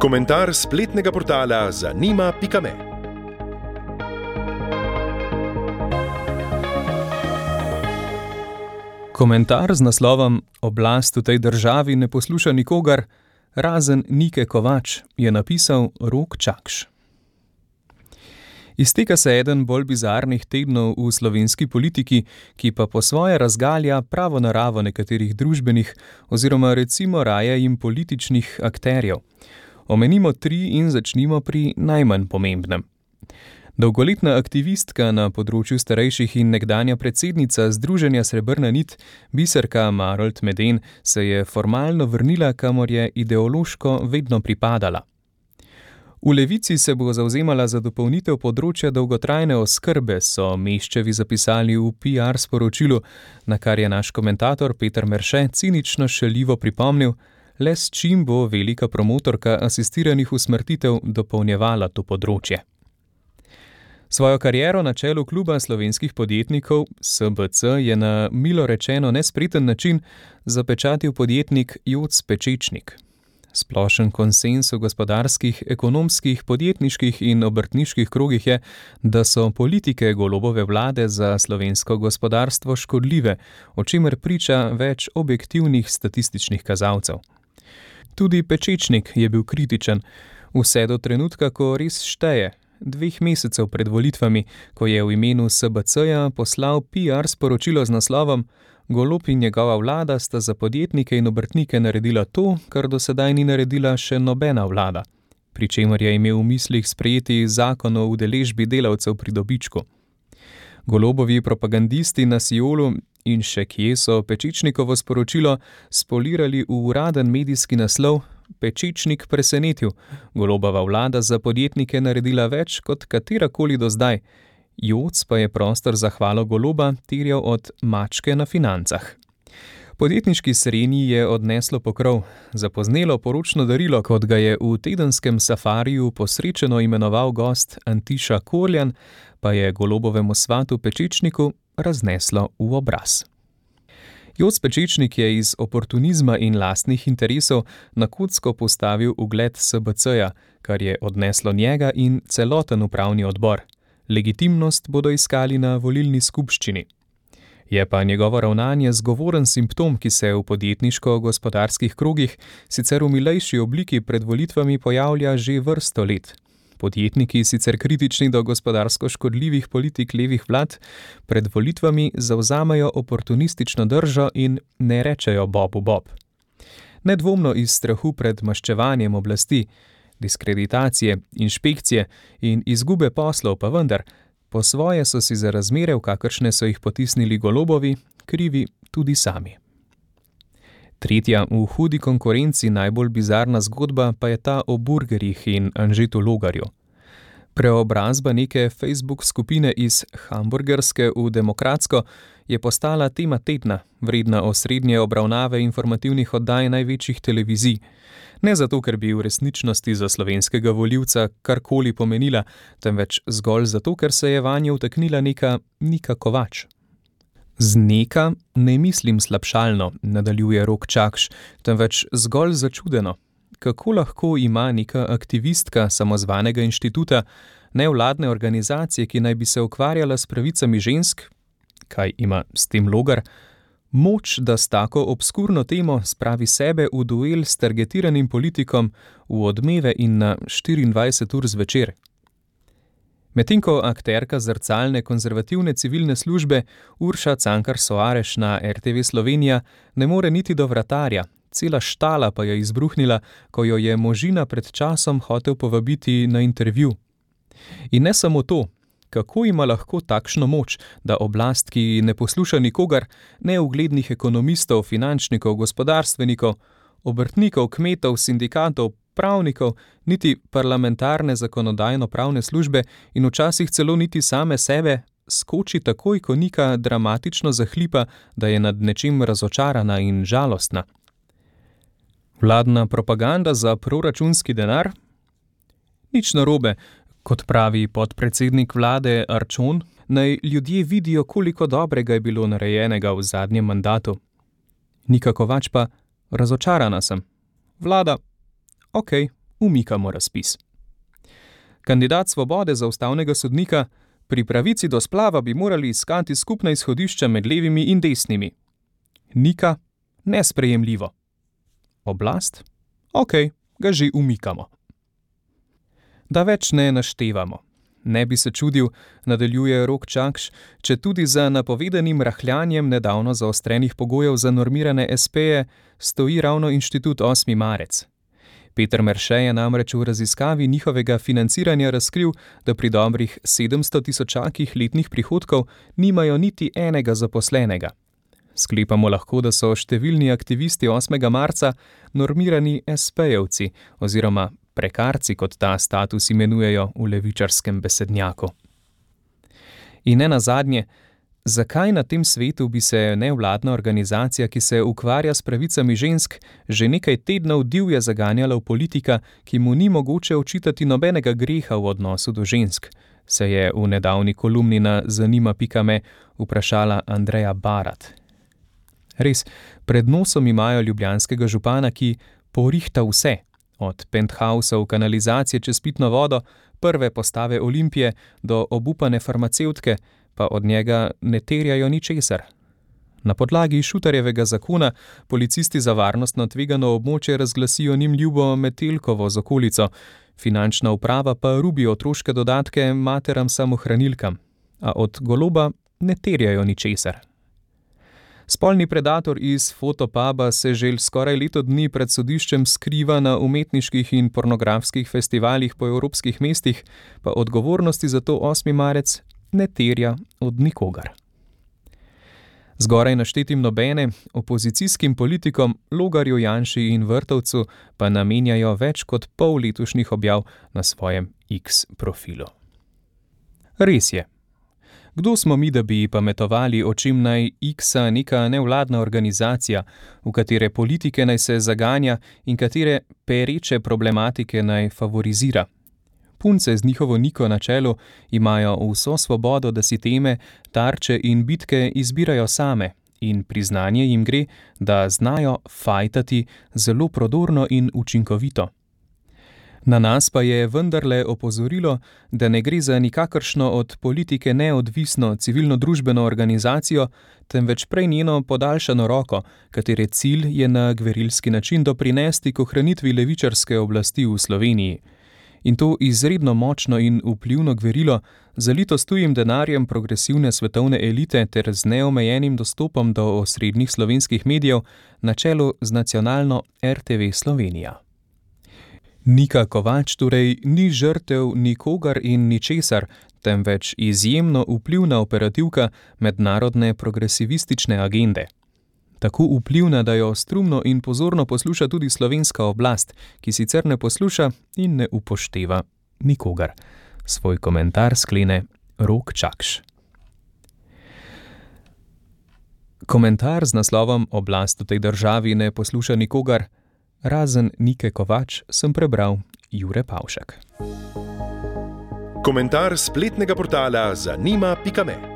Komentar spletnega portala zanima.me. Komentar z naslovom "Oblast v tej državi ne posluša nikogar, razen Nike Kovač", je napisal Rok Čakš. Izteka se eden bolj bizarnih tednov v slovenski politiki, ki pa po svoje razgalja pravo naravo nekaterih družbenih oziroma recimo raje jim političnih akterjev. Omenimo 3 in začnimo pri najmanj pomembnem. Dolgoletna aktivistka na področju starejših in nekdanja predsednica Združenja Srebrna nit, Biserka Marolt Meden, se je formalno vrnila, kamor je ideološko vedno pripadala. V Levici se bo zavzemala za dopolnitev področja dolgotrajne oskrbe, so Meščevi zapisali v PR sporočilu, na kar je naš komentator Peter Merše cinično šaljivo pripomnil, le s čim bo velika promotorka asistiranih usmrtitev dopolnjevala to področje. Svojo kariero na čelu kluba slovenskih podjetnikov SBC je na milo rečeno nespreten način zapečatil podjetnik Joc Pečečnik. Splošen konsenz v gospodarskih, ekonomskih, podjetniških in obrtniških krogih je, da so politike Golobove vlade za slovensko gospodarstvo škodljive, o čemer priča več objektivnih statističnih kazalcev. Tudi Pečečnik je bil kritičen, vse do trenutka, ko res šteje, 2 mesecev pred volitvami, ko je v imenu SBC-ja poslal PR sporočilo z naslovom "Golob in njegova vlada sta za podjetnike in obrtnike naredila to, kar do sedaj ni naredila še nobena vlada", pri čemer je imel v mislih sprejeti zakon o udeležbi delavcev pri dobičku. Golobovi propagandisti na Siolu in še kje so Pečečnikovo sporočilo spolirali v uraden medijski naslov "Pečečnik presenetil, Golobova vlada za podjetnike naredila več kot katerakoli do zdaj", Joc pa je prostor za hvalo Goloba terjal od mačke na financah. Podjetniški srenji je odneslo pokrov, zapoznelo poročno darilo, kot ga je v tedenskem safariju posrečeno imenoval gost Antiša Korljan, pa je Golobovemu svatu Pečečniku razneslo v obraz. Joc Pečečnik je iz oportunizma in lastnih interesov na kocko postavil ugled SBC-ja, kar je odneslo njega in celoten upravni odbor. Legitimnost bodo iskali na volilni skupščini. Je pa njegovo ravnanje zgovoren simptom, ki se v podjetniško-gospodarskih krogih sicer v milejši obliki pred volitvami pojavlja že vrsto let. Podjetniki, sicer kritični do gospodarsko škodljivih politik levih vlad, pred volitvami zavzamejo oportunistično držo in ne rečejo bobu bob. Nedvomno iz strahu pred maščevanjem oblasti, diskreditacije, inšpekcije in izgube poslov pa vendar, po svoje so si za razmere, v kakršne so jih potisnili Golobovi, krivi tudi sami. Tretja v hudi konkurenci najbolj bizarna zgodba pa je ta o burgerjih in Anžetu Logarju. Preobrazba neke Facebook skupine iz hamburgerske v demokratsko je postala tema tedna, vredna osrednje obravnave informativnih oddaj največjih televizij. Ne zato, ker bi v resničnosti za slovenskega volivca karkoli pomenila, temveč zgolj zato, ker se je vanjo vtaknila neka Nika Kovač. Z neka ne mislim slabšalno, nadaljuje Rok Čakš, temveč zgolj začudeno. Kako lahko ima neka aktivistka samozvanega inštituta, nevladne organizacije, ki naj bi se ukvarjala s pravicami žensk, kaj ima s tem Logar, moč, da s tako obskurno temo spravi sebe v duel s targetiranim politikom v Odmeve in na 24 ur zvečer? Medtem ko akterka zrcalne konzervativne civilne službe Urša Cankar Soareš na RTV Slovenija ne more niti do vratarja, cela štala pa je izbruhnila, ko jo je možina pred časom hotel povabiti na intervju. In ne samo to, kako ima lahko takšno moč, da oblast, ki ne posluša nikogar, ne uglednih ekonomistov, finančnikov, gospodarstvenikov, obrtnikov, kmetov, sindikatov, pravnikov, niti parlamentarne zakonodajno-pravne službe in včasih celo niti same sebe, skoči takoj, ko Nika dramatično zahlipa, da je nad nečim razočarana in žalostna. Vladna propaganda za proračunski denar? Nič narobe, kot pravi podpredsednik vlade Arčon, naj ljudje vidijo, koliko dobrega je bilo narejenega v zadnjem mandatu. Nika Kovač pa: razočarana sem. Vlada: okej, umikamo razpis. Kandidat Svobode za ustavnega sodnika: pri pravici do splava bi morali iskati skupna izhodišča med levimi in desnimi. Nika: nesprejemljivo. Oblast: okej, ga že umikamo. Da več ne naštevamo. Ne bi se čudil, nadaljuje Rok Čakš, če tudi za napovedanim rahljanjem nedavno zaostrenih pogojev za normirane espeje stoji ravno inštitut 8. marec. Peter Merše je namreč v raziskavi njihovega financiranja razkril, da pri dobrih 700 tisočakih letnih prihodkov nimajo niti enega zaposlenega. Sklepamo lahko, da so številni aktivisti 8. marca normirani espejevci oziroma prekarci, kot ta status imenujejo v levičarskem besednjaku. In ne nazadnje, zakaj na tem svetu bi se nevladna organizacija, ki se ukvarja s pravicami žensk, že nekaj tednov divje zaganjala v politika, ki mu ni mogoče očitati nobenega greha v odnosu do žensk, se je v nedavni kolumni na zanima.me vprašala Andreja Barat. Res, pred nosom imajo ljubljanskega župana, ki porihta vse, od penthousov, kanalizacije čez pitno vodo, prve postave Olimpije do obupane farmacevtke, pa od njega ne terjajo ničesar. Na podlagi Šutarjevega zakona policisti za varnostno tvegano območje razglasijo njim ljubo Metelkovo z okolico, finančna uprava pa rubi otroške dodatke materam samohranilkam, a od Goloba ne terjajo ničesar. Spolni predator iz Fotopuba se že skoraj leto dni pred sodiščem skriva na umetniških in pornografskih festivalih po evropskih mestih, pa odgovornosti za to 8. marec ne terja od nikogar. Zgoraj naštetim nobene, opozicijskim politikom Logarju, Janši in Vrtovcu pa namenjajo več kot pol letošnjih objav na svojem X profilu. Res je. Kdo smo mi, da bi pametovali, o čem naj X-a neka nevladna organizacija, v katere politike naj se zaganja in katere pereče problematike naj favorizira? Punce z njihovo Niko na čelu imajo vso svobodo, da si teme, tarče in bitke izbirajo same, in priznanje jim gre, da znajo fajtati zelo prodorno in učinkovito. Na nas pa je vendarle opozorilo, da ne gre za nikakršno od politike neodvisno civilno-družbeno organizacijo, temveč prej njeno podaljšano roko, katere cilj je na gverilski način doprinesti k ohranitvi levičarske oblasti v Sloveniji. In to izredno močno in vplivno gverilo, zalito s tujim denarjem progresivne svetovne elite ter z neomejenim dostopom do osrednjih slovenskih medijev, na čelu z nacionalno RTV Slovenija. Nika Kovač torej ni žrtev nikogar in ničesar, temveč izjemno vplivna operativka mednarodne progresivistične agende. Tako vplivna, da jo strumno in pozorno posluša tudi slovenska oblast, ki sicer ne posluša in ne upošteva nikogar. Svoj komentar sklene Rok Čakš. Komentar z naslovom Oblast v tej državi ne posluša nikogar, razen Nike Kovač, sem prebral Jure Pavšek. Komentar spletnega portala zanima.me